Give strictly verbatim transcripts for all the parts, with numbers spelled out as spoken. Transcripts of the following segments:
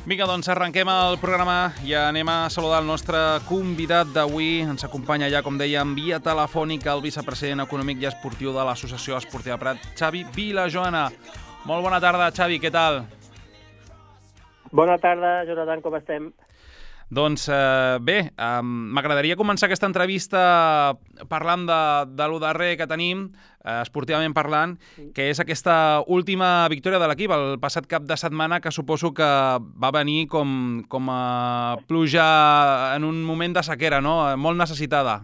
Vinga, doncs arrenquem el programa i anem a saludar el nostre convidat d'avui. Ens acompanya ja, com dèiem, via telefònica el vicepresident econòmic i esportiu de l'Associació Esportiva Prat, Xavi Vilajoana. Molt bona tarda, Xavi, què tal? Bona tarda, Jonathan, com estem? Doncs eh, bé, eh, m'agradaria començar aquesta entrevista parlant de, de lo darrer que tenim, eh, esportivament parlant, que és aquesta última victòria de l'equip el passat cap de setmana, que suposo que va venir com, com a pluja en un moment de sequera, no? Molt necessitada.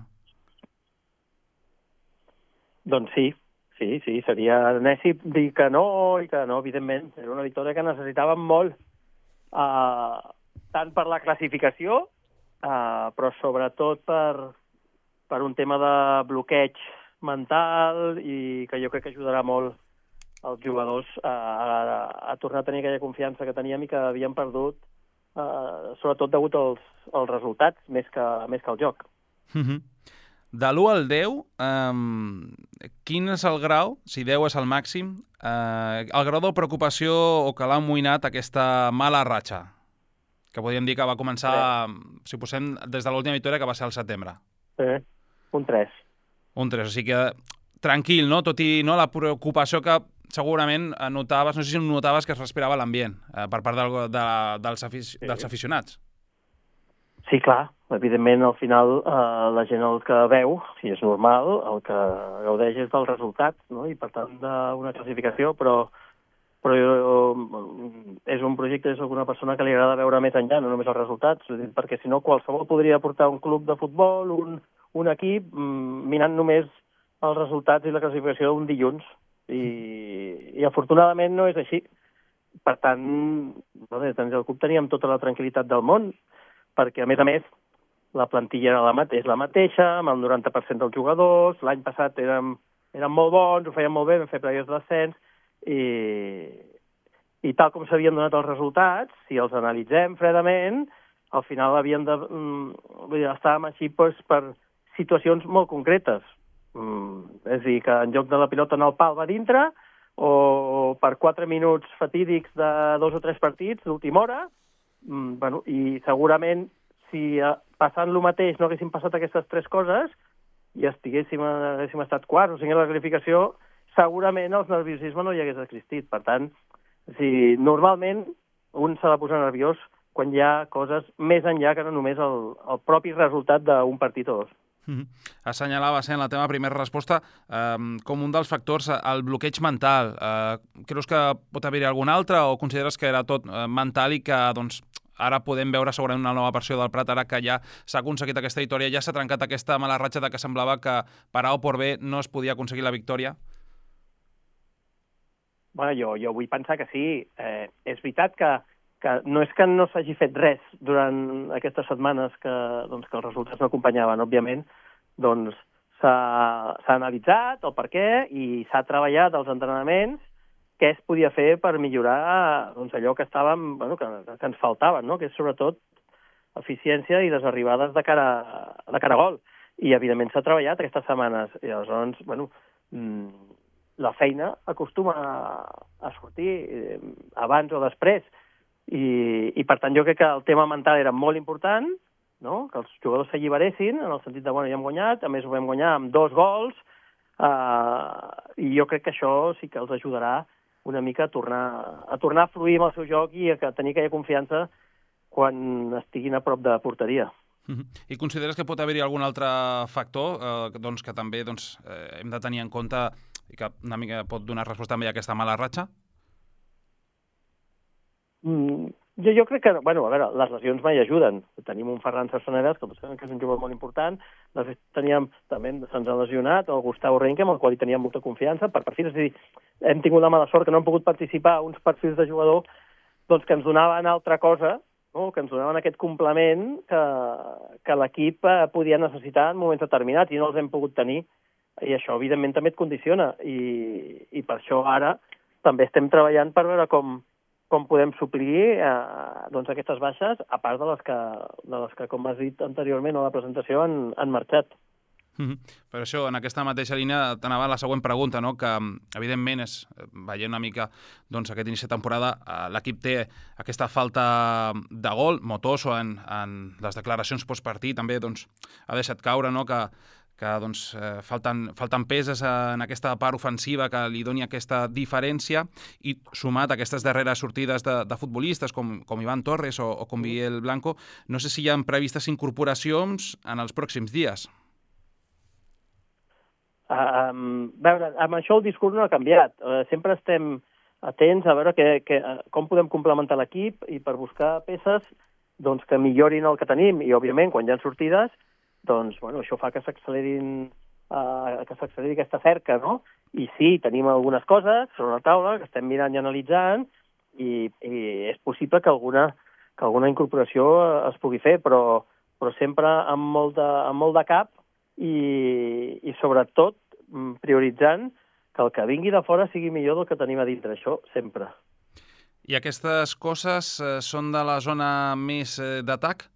Doncs sí, sí, sí, seria neci dir que no i que no, evidentment. Era una victòria que necessitàvem molt. Uh, tant per la classificació, uh, però sobretot per, per un tema de bloqueig mental i que jo crec que ajudarà molt als jugadors uh, a, a tornar a tenir aquella confiança que teníem i que havíem perdut, uh, sobretot degut als, als resultats més que, més que al joc. Mm-hmm. De l'u al deu, um, quin és el grau, si deu és el màxim, uh, el grau de preocupació o que l'ha amoïnat aquesta mala ratxa? Que podríem dir que va començar, sí, si ho posem, des de l'última victòria, que va ser al setembre. Sí, un tres. Un tres, o sigui que tranquil, no? Tot i no, la preocupació que segurament notaves, no sé si notaves que es respirava l'ambient eh, per part del, de, dels, afic sí. dels aficionats. Sí, clar. Evidentment, al final, eh, la gent el que veu, si és normal, el que gaudeix és del resultat, no? I per tant d'una classificació, però però jo, és un projecte, és alguna persona que li agrada veure més enllà, no només els resultats, perquè si no qualsevol podria portar un club de futbol, un, un equip, mirant només els resultats i la classificació un dilluns. I, i afortunadament no és així. Per tant, no sé, tant el club teníem tota la tranquil·litat del món, perquè a més a més la plantilla era la mate és la mateixa, amb el noranta per cent dels jugadors, l'any passat érem, érem molt bons, ho fèiem molt bé, vam fer playoffs d'ascens, I, i tal com s'havien donat els resultats, si els analitzem fredament, al final havíem de... Mm, vull dir, estàvem així doncs, per situacions molt concretes. Mm, és a dir, que en lloc de la pilota en el pal va dintre, o per quatre minuts fatídics de dos o tres partits d'última hora, mm, bueno, i segurament si passant lo mateix no haguéssim passat aquestes tres coses i estiguéssim, haguéssim estat quarts o cinquè a la qualificació, segurament el nerviosisme no hi hagués existit. Per tant, si normalment un s'ha de posar nerviós quan hi ha coses més enllà que no només el, el propi resultat d'un partit o dos. Mm-hmm. Assenyalaves en la teva primera resposta eh, com un dels factors el bloqueig mental. Eh, creus que pot haver-hi algun altre o consideres que era tot eh, mental i que doncs, ara podem veure segurament una nova versió del Prat, ara que ja s'ha aconseguit aquesta victòria, ja s'ha trencat aquesta mala ratxa de que semblava que per A o per B no es podia aconseguir la victòria? Bueno, jo, jo vull pensar que sí. Eh, és veritat que, que no és que no s'hagi fet res durant aquestes setmanes que, doncs, que els resultats no acompanyaven, òbviament, doncs s'ha analitzat el per què i s'ha treballat als entrenaments què es podia fer per millorar doncs, allò que estàvem, bueno, que, que ens faltava, no? Que és sobretot eficiència i les arribades de cara, de cara a gol. I, evidentment, s'ha treballat aquestes setmanes. I llavors, bueno, mmm, la feina acostuma a sortir eh, abans o després. I, I, per tant, jo crec que el tema mental era molt important, no? Que els jugadors s'alliberessin, en el sentit de, bueno, ja hem guanyat, a més ho vam guanyar amb dos gols, eh, i jo crec que això sí que els ajudarà una mica a tornar, a tornar a fluir amb el seu joc i a tenir aquella confiança quan estiguin a prop de porteria. I consideres que pot haver-hi algun altre factor eh, doncs, que també doncs, eh, hem de tenir en compte i que una mica pot donar resposta també a aquesta mala ratxa? Mm, jo, jo crec que, bueno, a veure, les lesions mai ajuden. Tenim un Ferran Sarsonedas, que és un jugador molt important, després teníem, també se'ns ha lesionat, el Gustavo Renque, amb el qual hi teníem molta confiança, per perfils, és a dir, hem tingut la mala sort que no hem pogut participar a uns perfils de jugador doncs, que ens donaven altra cosa, no? Que ens donaven aquest complement que, que l'equip podia necessitar en moments determinats i no els hem pogut tenir. I això, evidentment, també et condiciona. I, i per això ara també estem treballant per veure com, com podem suplir eh, doncs aquestes baixes, a part de les que, de les que, com has dit anteriorment a la presentació, han, han marxat. Mm-hmm. Per això, en aquesta mateixa línia, t'anava la següent pregunta, no? Que, evidentment, és, veient una mica doncs, aquest inici de temporada, eh, l'equip té aquesta falta de gol. Motoso, en, en les declaracions postpartit, també doncs, ha deixat caure, no? que, que doncs, eh, falten, falten peses en aquesta part ofensiva que li doni aquesta diferència, i sumat a aquestes darreres sortides de, de futbolistes com, com Iván Torres o, o com Miguel Blanco, no sé si hi ha previstes incorporacions en els pròxims dies. Uh, um, veure, amb això el discurs no ha canviat. Uh, sempre estem atents a veure que, que, uh, com podem complementar l'equip i per buscar peces doncs, que millorin el que tenim. I, òbviament, quan hi ha sortides, doncs, bueno, això fa que s'accelerin uh, que s'acceleri aquesta cerca, no? I sí, tenim algunes coses sobre la taula que estem mirant i analitzant i, i és possible que alguna, que alguna incorporació es pugui fer, però, però sempre amb molt de, amb molt de cap i, i sobretot prioritzant que el que vingui de fora sigui millor del que tenim a dintre, això sempre. I aquestes coses eh, són de la zona més eh, d'atac?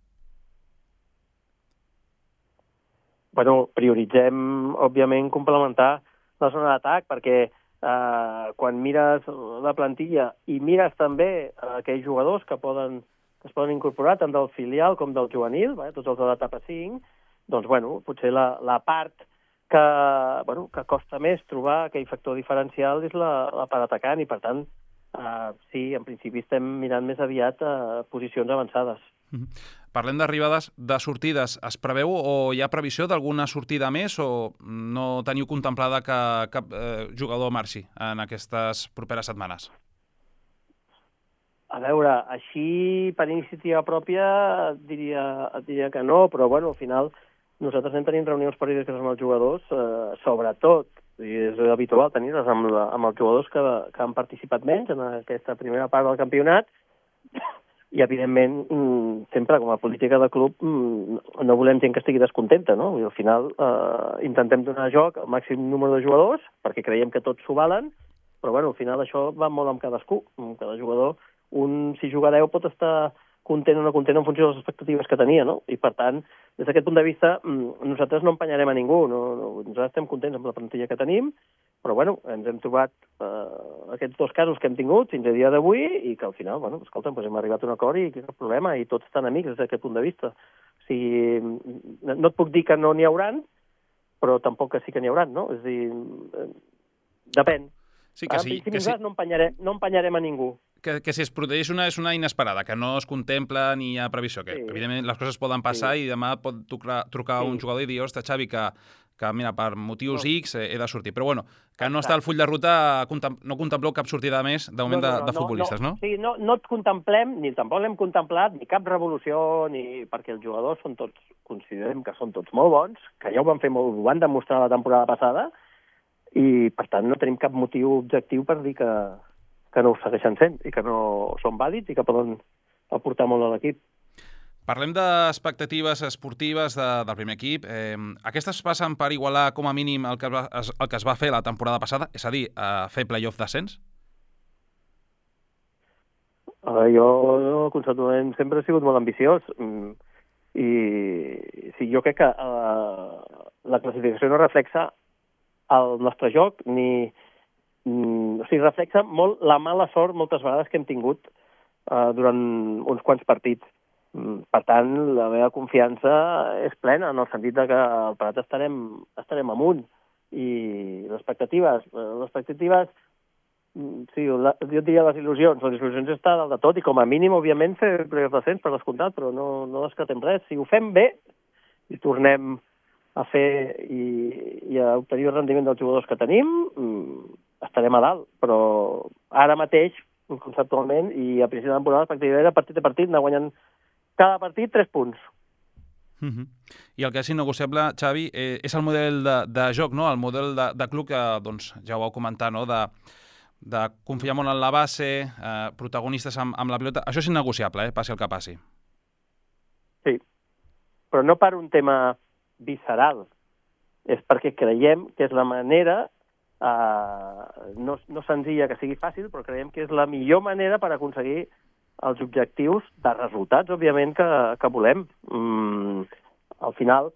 Bueno, prioritzem, òbviament, complementar la zona d'atac, perquè eh, quan mires la plantilla i mires també eh, aquells jugadors que, poden, que es poden incorporar tant del filial com del juvenil, eh, tots els de l'etapa cinc, doncs, bueno, potser la, la part que, bueno, que costa més trobar aquell factor diferencial és la, la part atacant i, per tant, eh, sí, en principi estem mirant més aviat a posicions avançades. Mm-hmm. Parlem d'arribades, de sortides. Es preveu o hi ha previsió d'alguna sortida més o no teniu contemplada que cap eh, jugador marxi en aquestes properes setmanes? A veure, així per iniciativa pròpia et diria, et diria que no, però bueno, al final nosaltres anem tenint reunions periòdiques amb els jugadors, eh, sobretot, i és habitual tenir-les amb, la, amb els jugadors que, que han participat menys en aquesta primera part del campionat, i evidentment, sempre com a política de club no volem gent que estigui descontenta, no? I al final eh, intentem donar joc al màxim número de jugadors, perquè creiem que tots s'ho valen, però bueno, al final això va molt amb cadascú, amb cada jugador. Un, si juga deu, pot estar content o no content en funció de les expectatives que tenia, no? I, per tant, des d'aquest punt de vista, nosaltres no empenyarem a ningú. No, no, nosaltres estem contents amb la plantilla que tenim, però, bueno, ens hem trobat eh, aquests dos casos que hem tingut fins a dia d'avui i que, al final, bueno, escolta'm, doncs hem arribat a un acord i cap problema, i tots estan amics des d'aquest punt de vista. O sigui, no et puc dir que no n'hi hauran, però tampoc que sí que n'hi hauran, no? És a dir, depèn. Sí, que sí, en principi, que sí. no empenyarem, no empenyarem a ningú. Que, que si es produeix una, és una inesperada, que no es contempla ni hi ha previsió, que sí. Evidentment les coses poden passar sí. I demà pot trucar, trucar sí. un jugador i dir, ostres, Xavi, que, que mira, per motius no. X he de sortir. Però bueno, que no està al full de ruta, no contempleu cap sortida més de moment no, no, no, de, de futbolistes, no? no? Sí, no, no et contemplem, ni tampoc l'hem contemplat, ni cap revolució, ni perquè els jugadors són tots, considerem que són tots molt bons, que ja ho van fer molt, ho van demostrar la temporada passada, i per tant no tenim cap motiu objectiu per dir que, que no ho segueixen sent i que no són vàlids i que poden aportar molt a l'equip. Parlem d'expectatives esportives de, del primer equip. Eh, aquestes passen per igualar com a mínim el que, va, el que es va fer la temporada passada, és a dir, a fer play-off d'ascens? Uh, jo, conceptualment, sempre he sigut molt ambiciós i sí, jo crec que uh, la classificació no reflexa el nostre joc, ni, mm, o sigui, reflexa molt la mala sort moltes vegades que hem tingut uh, durant uns quants partits. Mm, per tant, la meva confiança és plena, en el sentit de que al Prat estarem, estarem amunt. I les expectatives, les expectatives, sí, la, jo diria les il·lusions, les il·lusions està dalt de tot, i com a mínim, òbviament, fer play-off d'ascens per descomptat, però no, no descartem res. Si ho fem bé, i tornem a fer i, i a obtenir el rendiment dels jugadors que tenim, estarem a dalt. Però ara mateix, conceptualment, i a principi de temporada, l'expectativa era partit a partit, anar guanyant cada partit tres punts. Uh-huh. I el que és innegociable, Xavi, eh, és el model de, de joc, no? El model de, de club que doncs, ja ho vau comentar, no? de, de confiar molt en la base, eh, protagonistes amb, amb la pilota. Això és innegociable, eh? Passi el que passi. Sí, però no per un tema visceral, és perquè creiem que és la manera, eh, no, no senzilla que sigui fàcil, però creiem que és la millor manera per aconseguir els objectius de resultats, òbviament, que, que volem. Mm, al final,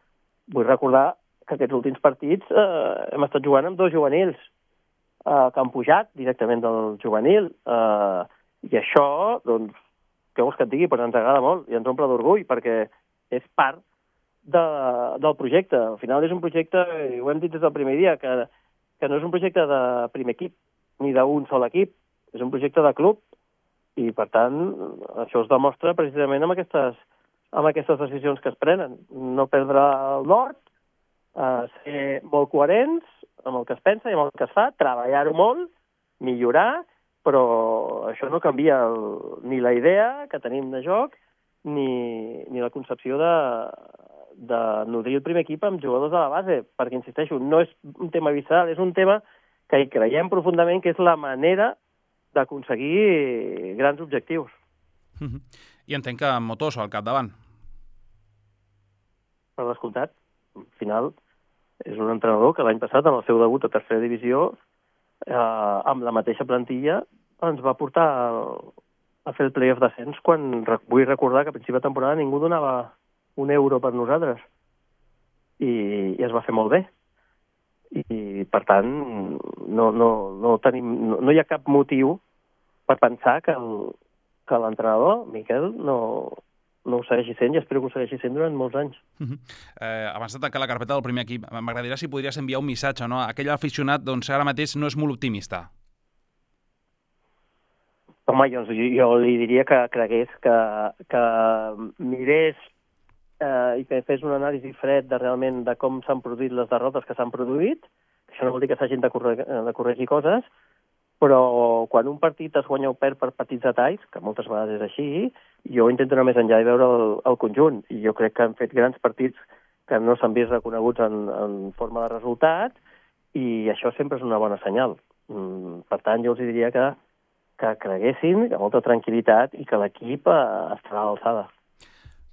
vull recordar que aquests últims partits eh, hem estat jugant amb dos juvenils eh, que han pujat directament del juvenil. Eh, I això, doncs, què vols que et digui? Pues ens agrada molt i ens omple d'orgull, perquè és part de, del projecte. Al final és un projecte, i ho hem dit des del primer dia, que, que no és un projecte de primer equip, ni d'un sol equip, és un projecte de club, i per tant això es demostra precisament amb aquestes, amb aquestes decisions que es prenen. No perdre el nord, eh, ser molt coherents amb el que es pensa i amb el que es fa, treballar-ho molt, millorar, però això no canvia el, ni la idea que tenim de joc ni, ni la concepció de, de nodrir el primer equip amb jugadors de la base, perquè, insisteixo, no és un tema visceral, és un tema que hi creiem profundament que és la manera d'aconseguir grans objectius. I entenc que Motoso al capdavant. Per descomptat, al final és un entrenador que l'any passat, en el seu debut a tercera divisió, eh, amb la mateixa plantilla, ens va portar a fer el playoff d'ascens quan vull recordar que a principi de temporada ningú donava un euro per nosaltres. I, i es va fer molt bé. I, per tant, no, no, no, tenim, no, no hi ha cap motiu per pensar que el, que l'entrenador, Miquel, no, no ho segueixi sent, i espero que ho segueixi sent durant molts anys. Uh -huh. eh, abans de tancar la carpeta del primer equip, m'agradaria si podries enviar un missatge, no? Aquell aficionat, doncs, ara mateix no és molt optimista. Home, jo, jo li diria que cregués, que, que mirés eh, i que fes un anàlisi fred de realment de com s'han produït les derrotes que s'han produït. Això no vol dir que s'hagin de, corregir, de corregir coses, però quan un partit es guanya o perd per petits detalls, que moltes vegades és així, jo intento anar més enllà i veure el, el conjunt. I jo crec que han fet grans partits que no s'han vist reconeguts en, en forma de resultat, i això sempre és una bona senyal. Mm, per tant, jo els diria que que creguessin, amb molta tranquil·litat, i que l'equip eh, estarà a l'alçada.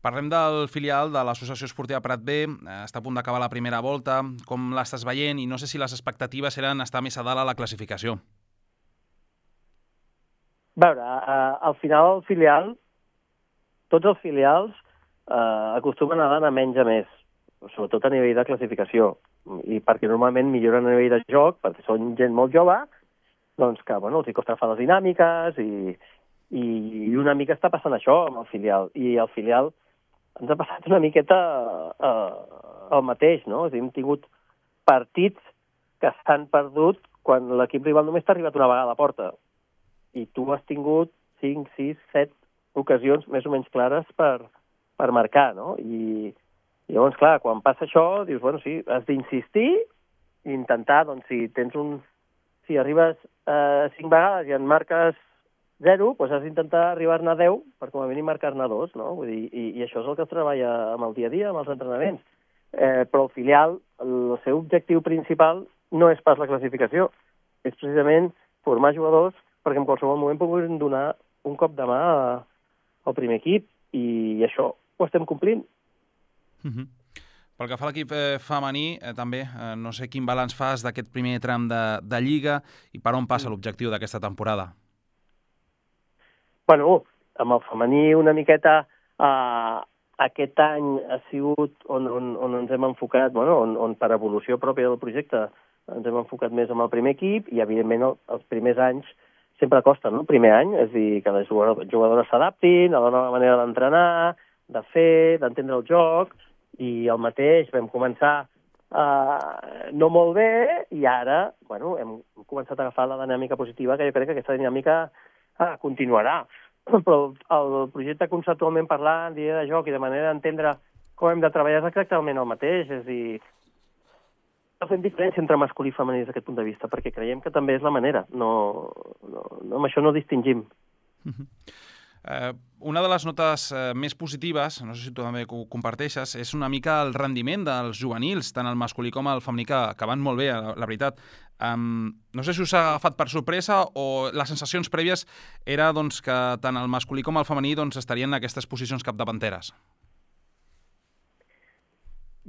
Parlem del filial de l'Associació Esportiva Prat B, està a punt d'acabar la primera volta, com l'estàs veient, i no sé si les expectatives eren estar més a dalt a la classificació. A veure, eh, al final el filial, tots els filials eh, acostumen a anar a menys a més, sobretot a nivell de classificació, i perquè normalment milloren a nivell de joc, perquè són gent molt jove, doncs que, bueno, els hi costa fer les dinàmiques i, i una mica està passant això amb el filial. I el filial ens ha passat una miqueta eh, el mateix, no? És a dir, hem tingut partits que s'han perdut quan l'equip rival només t'ha arribat una vegada a la porta. I tu has tingut cinc, sis, set ocasions més o menys clares per, per marcar, no? I, i llavors, clar, quan passa això, dius, bueno, sí, has d'insistir i intentar, doncs, si tens un... Si arribes eh, cinc vegades i en marques zero, doncs has d'intentar arribar-ne a deu per com a mínim marcar-ne dos, no? Vull dir, i, i això és el que es treballa amb el dia a dia, amb els entrenaments. Eh, però el filial, el seu objectiu principal no és pas la classificació, és precisament formar jugadors perquè en qualsevol moment puguin donar un cop de mà al primer equip, i això ho estem complint. Uh-huh. Pel que fa a l'equip eh, femení, eh, també, eh, no sé quin balanç fas d'aquest primer tram de, de Lliga i per on passa l'objectiu d'aquesta temporada? Bueno, amb el femení una miqueta eh, aquest any ha sigut on, on, on ens hem enfocat, bueno, on, on per evolució pròpia del projecte ens hem enfocat més amb el primer equip, i evidentment el, els primers anys sempre costa, no? El primer any, és a dir, que les jugadores s'adaptin a la nova manera d'entrenar, de fer, d'entendre el joc, i el mateix vam començar eh, no molt bé, i ara, bueno, hem començat a agafar la dinàmica positiva, que jo crec que aquesta dinàmica eh, continuarà. Però el projecte conceptualment parlant, d'idea de joc i de manera d'entendre com hem de treballar és exactament el mateix, és a dir, no fem diferència entre masculí i femení des d'aquest punt de vista, perquè creiem que també és la manera, no, no, no amb això no distingim. Uh-huh. Eh, una de les notes eh, més positives, no sé si tu també ho comparteixes, és una mica el rendiment dels juvenils, tant el masculí com el femení, que, que van molt bé, la, la veritat. Um, no sé si us ha agafat per sorpresa o les sensacions prèvies era doncs, que tant el masculí com el femení doncs, estarien en aquestes posicions capdavanteres.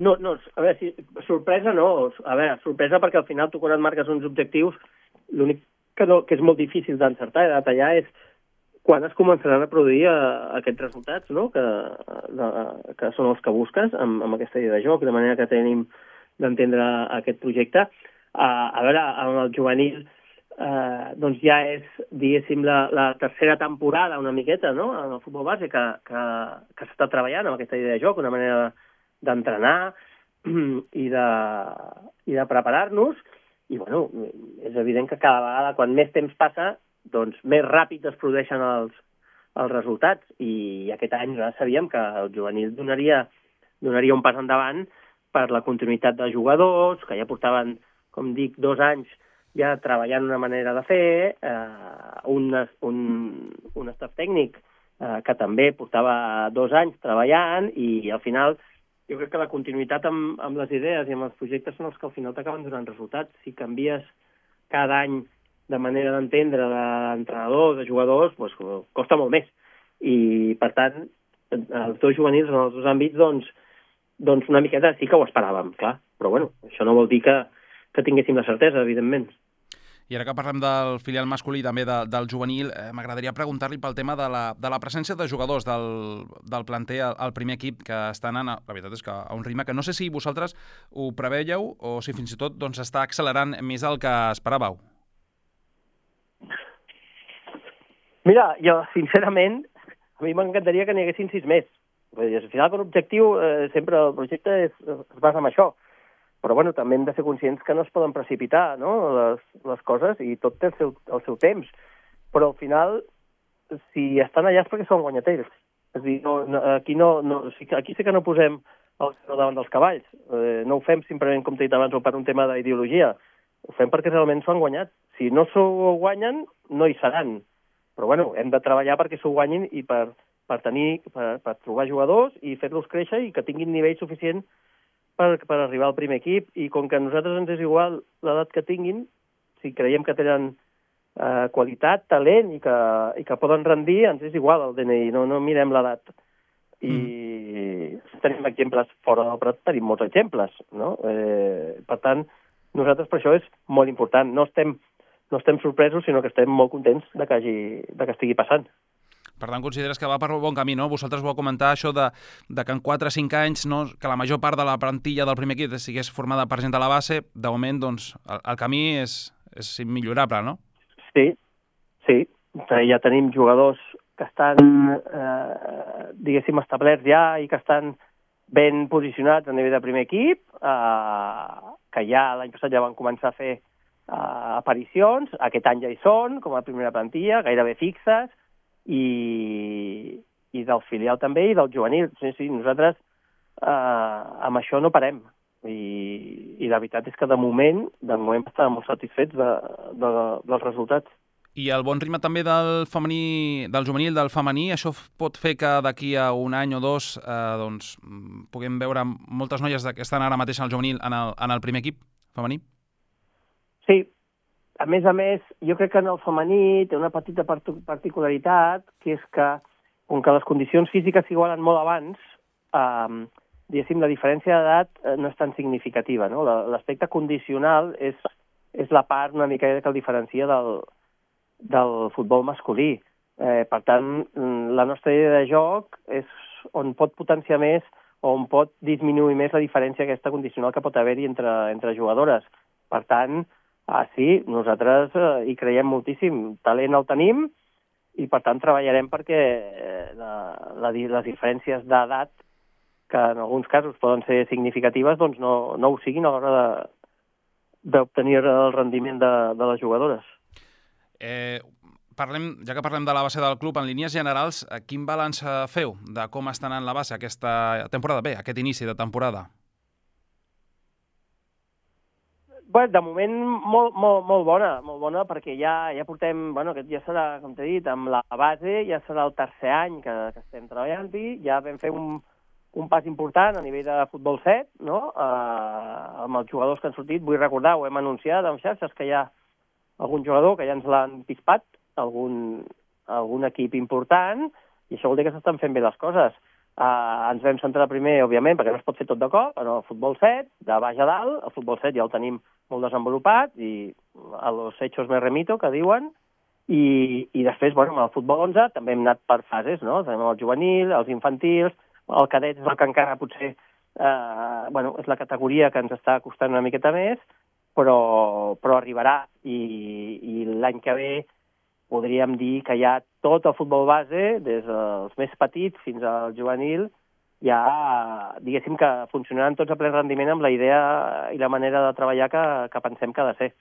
No, no, a veure, si, sorpresa no. A veure, sorpresa perquè al final tu quan et marques uns objectius, l'únic que, no, que és molt difícil d'encertar i de detallar és quan es començaran a produir uh, aquests resultats, no? que, uh, que són els que busques amb, amb aquesta idea de joc, de manera que tenim d'entendre aquest projecte. Uh, a veure, amb el juvenil uh, doncs ja és, diguéssim, la, la tercera temporada una miqueta, no?, en el futbol base que, que, que s'està treballant amb aquesta idea de joc, una manera d'entrenar i de, i de preparar-nos, i bueno, és evident que cada vegada, quan més temps passa, doncs més ràpid es produeixen els, els resultats, i aquest any ja sabíem que el juvenil donaria, donaria un pas endavant per la continuïtat de jugadors, que ja portaven, com dic, dos anys ja treballant una manera de fer, eh, un, un, un staff tècnic eh, que també portava dos anys treballant, i al final jo crec que la continuïtat amb, amb les idees i amb els projectes són els que al final t'acaben donant resultats. Si canvies cada any de manera d'entendre d'entrenador, de jugadors, doncs costa molt més. I, per tant, els dos juvenils en els dos àmbits, doncs, doncs una miqueta sí que ho esperàvem, clar. Però, bueno, això no vol dir que, que tinguéssim la certesa, evidentment. I ara que parlem del filial masculí i també de, del juvenil, eh, m'agradaria preguntar-li pel tema de la, de la presència de jugadors del, del planter al, al primer equip, que estan anant, la veritat és que a un ritme que no sé si vosaltres ho preveieu o si fins i tot doncs, està accelerant més el que esperàveu. Mira, jo, sincerament, a mi m'encantaria que n'hi haguessin sis més. Al final, com a objectiu, eh, sempre el projecte és, es basa en això. Però bueno, també hem de ser conscients que no es poden precipitar, no?, les, les coses, i tot té el seu, el seu temps. Però al final, si estan allà és perquè són guanyaters. És a dir, no, no, aquí, no, no, aquí sí que no posem el carro davant dels cavalls. Eh, no ho fem simplement, com t'he dit abans, o per un tema d'ideologia. Ho fem perquè realment s'ho han guanyat. Si no s'ho guanyen, no hi seran. Però bueno, hem de treballar perquè s'ho guanyin i per, per, tenir, per, per trobar jugadors i fer-los créixer i que tinguin nivell suficient Per, per arribar al primer equip, i com que a nosaltres ens és igual l'edat que tinguin, si creiem que tenen eh, qualitat, talent i que, i que poden rendir, ens és igual el D N I, no, no mirem l'edat. I mm. tenim exemples fora del Prat, tenim molts exemples, no? Eh, per tant, nosaltres per això és molt important. No estem, no estem sorpresos, sinó que estem molt contents de que, hagi, de que estigui passant. Per tant, consideres que va per bon camí, no? Vosaltres vau comentar això de, de que en quatre o cinc anys, no, que la major part de la plantilla del primer equip sigués formada per gent de la base. De moment, doncs, el, el camí és, és immillorable, no? Sí, sí. Ja tenim jugadors que estan, eh, diguéssim, establerts ja i que estan ben posicionats a nivell de primer equip, eh, que ja l'any passat ja van començar a fer eh, aparicions. Aquest any ja hi són, com a primera plantilla, gairebé fixes, i, i del filial també i del juvenil. Sí, sí, nosaltres eh, amb això no parem, i, i la veritat és que de moment de moment estàvem molt satisfets de, de, dels resultats. I el bon ritme també del femení, del juvenil, del femení, això pot fer que d'aquí a un any o dos eh, doncs, puguem veure moltes noies que estan ara mateix al juvenil en el, en el primer equip femení? Sí. A més a més, jo crec que en el femení té una petita particularitat, que és que, com que les condicions físiques s'igualen molt abans, eh, diguéssim, la diferència d'edat no és tan significativa, no? L'aspecte condicional és, és la part una mica que el diferencia del, del futbol masculí. Eh, per tant, la nostra idea de joc és on pot potenciar més o on pot disminuir més la diferència aquesta condicional que pot haver-hi entre, entre jugadores. Per tant, Ah, sí, nosaltres eh, hi creiem moltíssim. Talent el tenim i, per tant, treballarem perquè eh, la, la, les diferències d'edat, que en alguns casos poden ser significatives, doncs no, no ho siguin a l'hora d'obtenir el rendiment de, de les jugadores. Eh, parlem, ja que parlem de la base del club, en línies generals, quin balanç feu de com està anant la base aquesta temporada? Bé, aquest inici de temporada. Bé, de moment molt, molt, molt bona, molt bona, perquè ja, ja portem, bueno, aquest ja serà, com t'he dit, amb la base, ja serà el tercer any que, que estem treballant-hi, ja vam fer un, un pas important a nivell de futbol set, no?, eh, amb els jugadors que han sortit. Vull recordar, ho hem anunciat en xarxes, que hi ha algun jugador que ja ens l'han pispat, algun, algun equip important, i això vol dir que s'estan fent bé les coses. Uh, ens vam centrar primer, òbviament, perquè no es pot fer tot de cop, en el futbol set, de baix a dalt. El futbol set ja el tenim molt desenvolupat, i a los hechos me remito, que diuen, i, i després, bueno, amb el futbol onze també hem anat per fases, no? Tenim el juvenil, els infantils, el cadet és el que encara potser eh, bueno, és la categoria que ens està costant una miqueta més, però, però arribarà, i, i l'any que ve podríem dir que ja tot el futbol base, des dels més petits fins al juvenil, ja, diguéssim que funcionaran tots a ple rendiment amb la idea i la manera de treballar que, que pensem que ha de ser.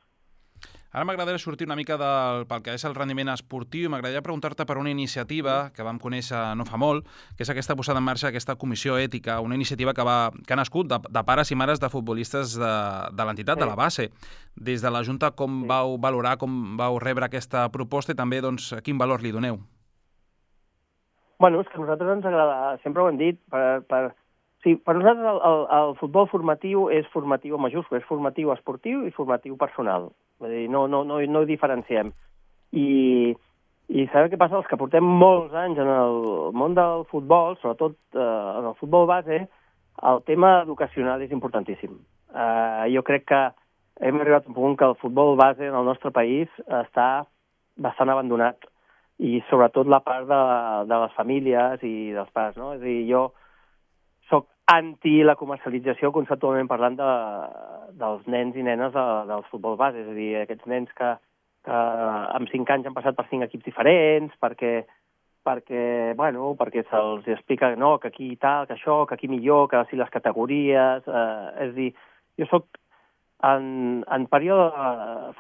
Ara m'agradaria sortir una mica del, pel que és el rendiment esportiu i m'agradaria preguntar-te per una iniciativa que vam conèixer no fa molt, que és aquesta posada en marxa, aquesta comissió ètica, una iniciativa que, va, que ha nascut de, de pares i mares de futbolistes de, de l'entitat, sí. de la base. Des de la Junta, com sí. vau valorar, com vau rebre aquesta proposta i també doncs, quin valor li doneu? Bueno, és que a nosaltres ens agrada, sempre ho hem dit, per, per, sí, per nosaltres el, el, el futbol formatiu és formatiu en majúscul, és formatiu esportiu i formatiu personal. Vull dir, no, no, no, no ho diferenciem. I, i sabeu què passa? Els que portem molts anys en el món del futbol, sobretot eh, en el futbol base, el tema educacional és importantíssim. Eh, jo crec que hem arribat a un punt que el futbol base en el nostre país està bastant abandonat, i sobretot la part de, de les famílies i dels pares, no? És a dir, jo soc anti la comercialització conceptualment parlant de, dels nens i nenes de, del futbol base, és a dir, aquests nens que, que amb cinc anys han passat per cinc equips diferents, perquè, perquè, bueno, perquè se'ls explica no, que aquí tal, que això, que aquí millor, que si les categories... Eh, és a dir, jo soc en, en període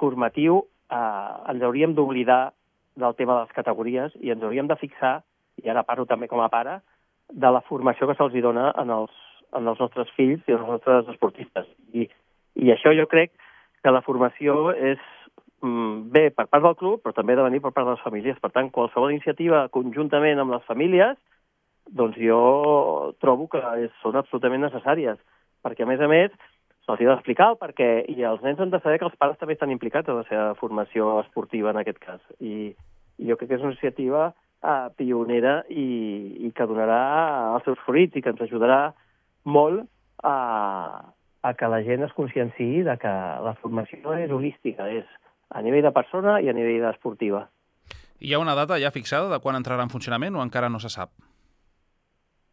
formatiu eh, ens hauríem d'oblidar del tema de les categories i ens hauríem de fixar, i ara parlo també com a pare, de la formació que se'ls dona en els, en els nostres fills i els nostres esportistes. I, I això jo crec que la formació és mm, bé per part del club, però també ha de venir per part de les famílies. Per tant, qualsevol iniciativa conjuntament amb les famílies, doncs jo trobo que és, són absolutament necessàries, perquè a més a més se'ls ha d'explicar el perquè, i els nens han de saber que els pares també estan implicats en la seva formació esportiva en aquest cas. I, i jo crec que és una iniciativa Uh, pionera i, i que donarà els seus fruits i que ens ajudarà molt a, a que la gent es conscienciï de que la formació és holística, és a nivell de persona i a nivell esportiva. Hi ha una data ja fixada de quan entrarà en funcionament o encara no se sap?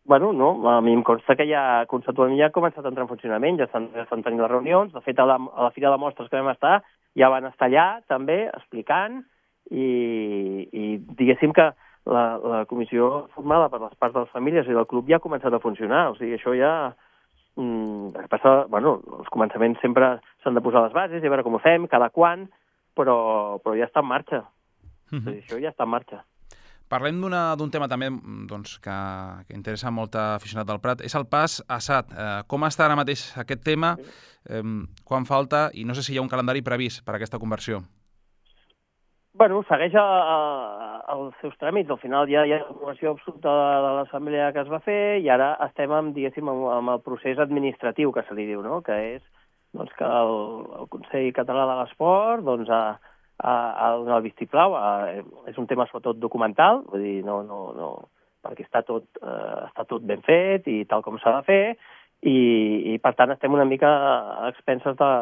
Bueno, no, a mi em consta que ja conceptualment ja ha començat a entrar en funcionament, ja estan, ja estan tenint les reunions, de fet a la, a la Fira de Mostres que vam estar ja van estar allà també explicant i, i diguéssim que La, la comissió formada per les parts de les famílies i del club ja ha començat a funcionar. O sigui, això ja... Mm, passa, bueno, els començaments sempre s'han de posar les bases i a veure com ho fem, cada quan, però, però ja està en marxa. Uh-huh. O sigui, això ja està en marxa. Parlem d'un tema també doncs, que, que interessa molt aficionat del Prat, és el pas a S A T. Eh, com està ara mateix aquest tema? Eh, quan falta? I no sé si hi ha un calendari previst per a aquesta conversió. Bueno, segueix a, a, els seus tràmits. Al final ja hi ha l'aprovació absoluta de l'assemblea que es va fer i ara estem amb, diguéssim, amb, amb el procés administratiu que se li diu, no? Que és doncs, que el, el Consell Català de l'Esport doncs, ha, ha, ha de donar el vistiplau. Ha, és un tema sobretot documental, vull dir, no, no, no, perquè està tot, eh, està tot ben fet i tal com s'ha de fer i, i per tant estem una mica a expenses de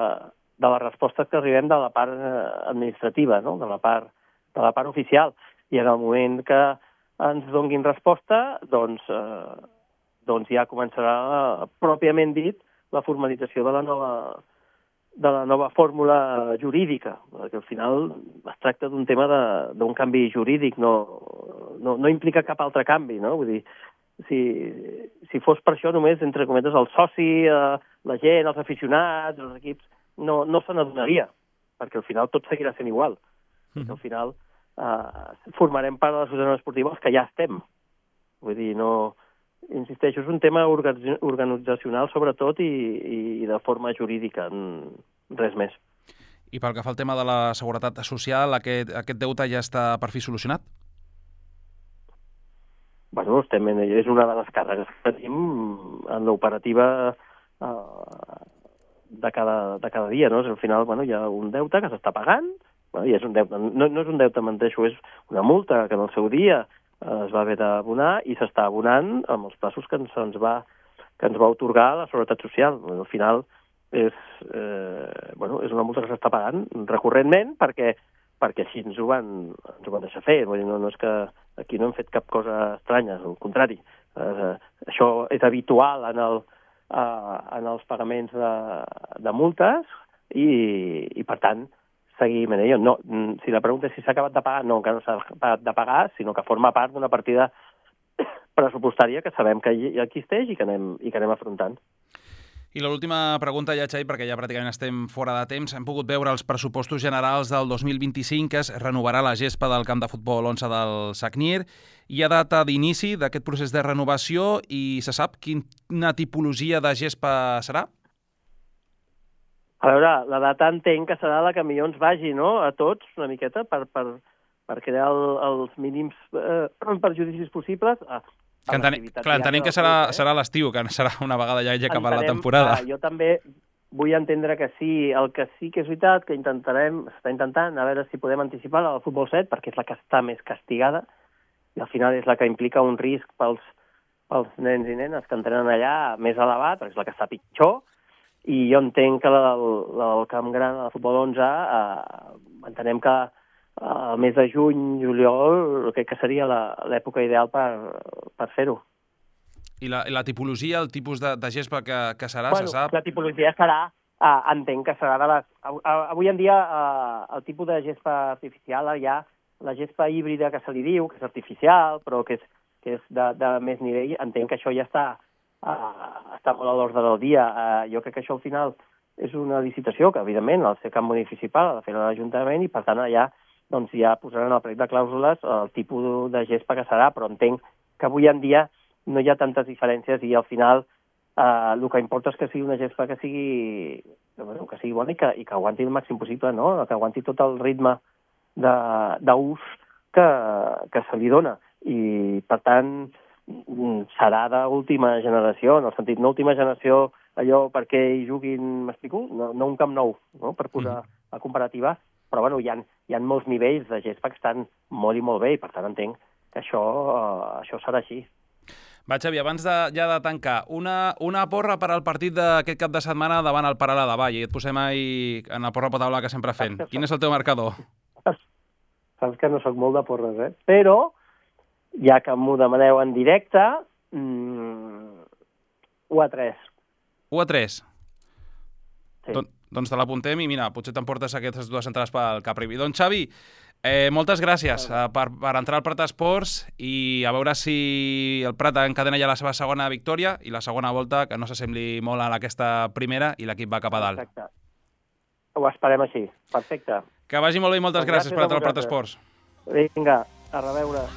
de les respostes que arribem de la part administrativa, no? de, la part, de la part oficial. I en el moment que ens donguin resposta, doncs, eh, doncs ja començarà, pròpiament dit, la formalització de la nova, de la nova fórmula jurídica, perquè al final es tracta d'un tema d'un canvi jurídic, no, no, no implica cap altre canvi, no? Vull dir, si, si fos per això només, entre cometes, el soci, eh, la gent, els aficionats, els equips, no, no se n'adonaria, perquè al final tot seguirà sent igual. Mm. Perquè al final eh, formarem part de la societat esportiva els que ja estem. Vull dir, no... Insisteixo, és un tema organitzacional sobretot i, i de forma jurídica, res més. I pel que fa al tema de la seguretat social, aquest, aquest deute ja està per fi solucionat? Bueno, estem en, és una de les càrregues que tenim en l'operativa eh, de cada, de cada dia, no? Al final, bueno, hi ha un deute que s'està pagant, bueno, i és un deute, no, no és un deute, menteixo, és una multa que en el seu dia eh, es va haver d'abonar i s'està abonant amb els passos que ens, ens va que ens va otorgar la Seguretat Social. Al final és, eh, bueno, és una multa que s'està pagant recurrentment perquè, perquè així ens ho, van, ens ho van deixar fer. Vull dir, no, no és que aquí no hem fet cap cosa estranya, al contrari. Eh, això és habitual en el eh, en els pagaments de, de multes i, i, per tant, seguir manera. No, si la pregunta és si s'ha acabat de pagar, no, encara no s'ha acabat de pagar, sinó que forma part d'una partida pressupostària que sabem que hi existeix i que anem, i que anem afrontant. I l'última pregunta ja, Xavi, perquè ja pràcticament estem fora de temps. Hem pogut veure els pressupostos generals del dos mil vint-i-cinc, que es renovarà la gespa del camp de futbol onze del Sagnier. Hi ha data d'inici d'aquest procés de renovació i se sap quina tipologia de gespa serà? A veure, la data entenc que serà la que millor ens vagi, no?, a tots, una miqueta, per, per, per crear el, els mínims eh, perjudicis possibles. A, que entenem, clar, entenem que serà, eh? serà l'estiu, que serà una vegada ja ja acabat la temporada. Uh, jo també vull entendre que sí. El que sí que és veritat que intentarem, s'està intentant, a veure si podem anticipar el futbol set, perquè és la que està més castigada, i al final és la que implica un risc pels, pels nens i nenes que entrenen allà més elevat, perquè és la que està pitjor, i jo entenc que el, el camp gran del futbol onze eh, entenem que el mes de juny, juliol, crec que seria l'època ideal per, per fer-ho. I la, la tipologia, el tipus de, de gespa que, que serà, bueno, se sap? La tipologia serà, eh, entenc que serà de les... Avui en dia eh, el tipus de gespa artificial hi ha la gespa híbrida que se li diu, que és artificial, però que és, que és de, de més nivell. Entenc que això ja està, eh, està molt a l'ordre del dia. Eh, jo crec que això al final és una licitació que, evidentment, al ser camp municipal ha de fer l'Ajuntament i, per tant, allà doncs ja posaran al plec de clàusules el tipus de gespa que serà, però entenc que avui en dia no hi ha tantes diferències i al final eh, el que importa és que sigui una gespa que sigui, bueno, que sigui bona i que, i que aguanti el màxim possible, no? Que aguanti tot el ritme d'ús que, que se li dona. I, per tant, serà d'última generació, en el sentit, no última generació allò perquè hi juguin, m'explico? No, no un camp nou, no? Per posar mm. a comparativa, però bueno, hi ha, hi ha molts nivells de gespa que estan molt i molt bé i per tant entenc que això, uh, això serà així. Va, Xavi, abans de, ja de tancar, una, una porra per al partit d'aquest cap de setmana davant el Paralà de Vall. I et posem ahí en la porra potable que sempre fem. Quin és el teu marcador? Saps que no sóc molt de porres, eh? Però, ja que m'ho demaneu en directe, mmm, u a tres. u a tres? Sí. Don, doncs te l'apuntem i mira, potser t'emportes aquestes dues entrades pel Capri. Doncs Xavi, eh, moltes gràcies eh, per, per entrar al Prat Esports i a veure si el Prat encadena ja la seva segona victòria i la segona volta que no s'assembli molt a aquesta primera i l'equip va cap a dalt. Exacte. Ho esperem així. Perfecte. Que vagi molt bé i moltes gràcies, gràcies per entrar al Prat Esports. Vinga, a reveure.